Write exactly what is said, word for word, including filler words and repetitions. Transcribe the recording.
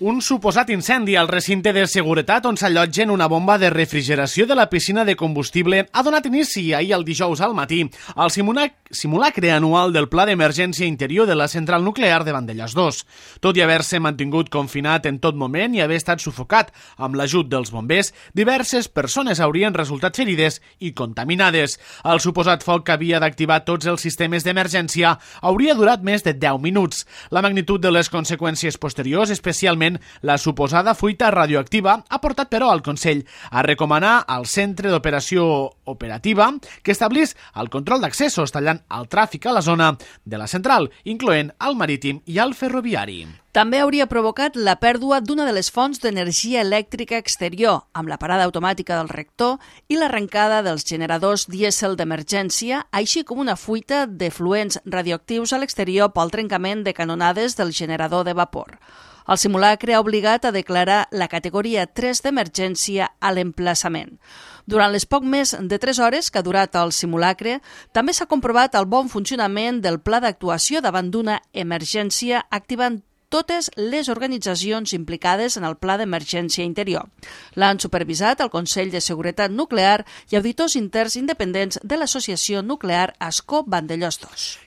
Un suposat incendi al recinte de seguretat on s'allotgen una bomba de refrigeració de la piscina de combustible ha donat inici ahir el dijous al matí al simulacre anual del Pla d'Emergència Interior de la central nuclear de Vandellòs dos. Tot i haver-se mantingut confinat en tot moment i haver estat sufocat amb l'ajut dels bombers, diverses persones haurien resultat ferides i contaminades. El suposat foc que havia d'activar tots els sistemes d'emergència hauria durat més de deu minuts. La magnitud de les conseqüències posteriors, especialment la suposada fuita radioactiva, ha portat però al Consell a recomanar al Centre d'Operació Operativa que establís el control d'accessos tallant el tràfic a la zona de la central, incloent el marítim i el ferroviari. També hauria provocat la pèrdua d'una de les fonts d'energia elèctrica exterior, amb la parada automàtica del reactor i l'arrencada dels generadors dièsel d'emergència, així com una fuita de fluents radioactius a l'exterior pel trencament de canonades del generador de vapor. El simulacre ha obligat a declarar la categoria tres d'emergència a l'emplaçament. Durant les poc més de tres hores que ha durat el simulacre, també s'ha comprovat el bon funcionament del pla d'actuació davant d'una emergència activant totes les organitzacions implicades en el Pla d'Emergència Interior. L'han supervisat el Consell de Seguretat Nuclear i auditors interns independents de l'Associació Nuclear Ascó Vandellòs dos.